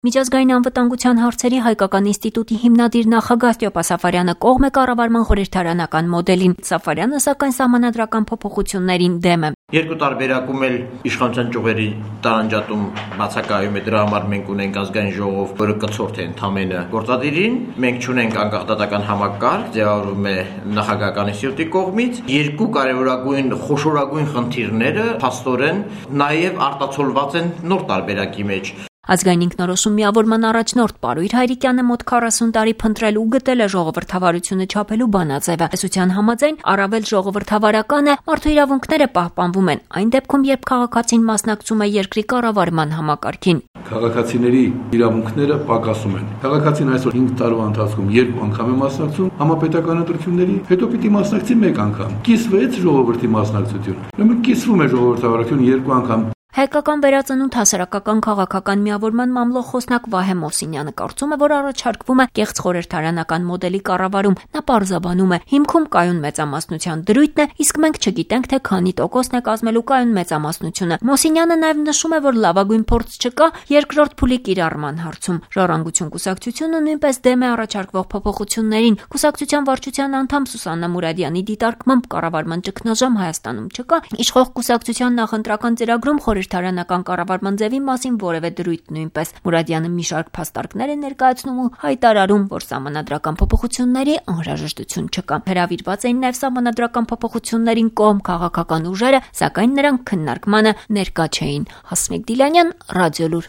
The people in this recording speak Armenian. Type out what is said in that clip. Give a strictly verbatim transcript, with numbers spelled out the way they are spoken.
Միջազգային անվտանգության հարցերի հայկական ինստիտուտի հիմնադիր նախագահ Ստեփան Սաֆարյանը կողմ է կառավարման խորհրդարանական մոդելին, Սաֆարյանը սակայն սահմանադրական փոփոխություններին դեմ է։ Երկու տարբերակում էլ իշխանության ճյուղերի տարանջատում բացակայում է, դրա համար մենք ունենք ազգային ժողով, որը կցորդ է ընդամենը գործադիրին, մենք չունենք անկախ դատական համակարգ, ձևավորվում է նախագահական ինստիտուտի կողմից, երկու կարևորագույն խոշորագույն խնդիրները փաստորեն նաև արտացոլված են նոր տարբերակի մեջ։ Ազգային ինքնորոշում միավորման առաջնորդ Պարույր Հայրիկյանը մոտ քառասուն տարի փնտրել ու գտել է ժողովրդավարությունը չափելու բանաձևը։ Տեսության համաձայն առավել ժողովրդավարական է, մարդու իրավունքները պահպանվում են այն դեպքում, երբ քաղաքացին մասնակցում է երկրի կառավարման համակարգին։ Քաղաքացիների իրավունքները պակասում են։ Քաղաքացին այսօր հինգ տարվա ընթացքում երկու անգամ է մասնակցում համապետական ընտրությունների, հետո պիտի մասնակցի մեկ անգամ։ Կիսվեց ժողովրդի մասնակցությունը։ Ուրեմն կիսվում է ժողովրդավարությունը երկու անգամ։ Հայկական վերածնունդ հասարակական քաղաքական միավորման մամլո խոսնակ Վահե Մոսինյանը կարծում է, որ առաջարկվում է կեղծ խորհրդարանական մոդելի կառավարում։ Նա պարզաբանում է, հիմքում կայուն մեծամասնության դրույթն է, իսկ մենք չգիտենք, թե քանի տոկոսն է կազմելու կայուն մեծամասնությունը։ Մոսինյանը նաև նշում է, որ լավագույն փորձ չկա երկրորդ փուլի կիրառման հարցում։ Ժառանգություն կուսակցությունը նույնպես դեմ է առաջարկվող փոփոխություններին։ Կուսակցության վարչության անդամ Սուսաննա Մուրադյանի դիտարկմամբ կառավարման ճգնաժամ Հայաստանում չկա։ Իշխող կուսակցության նախընտրական ծրագրում խորհրդարանական կառավարման ձևի մասին որևէ դրույթ նույնպես։ Մուրադյանը մի շարք փաստարկներ է ներկայացնում ու հայտարարում, որ սահմանադրական փոփոխությունների անհրաժեշտություն չկա։ Հրավիրված էին նաև սահմանադրական փոփոխություններին կողմ քաղաքական ուժերը, սակայն նրանք քննարկմանը ներկա չէին։ Հասմիկ Դիլանյան, Ռադիոլուր։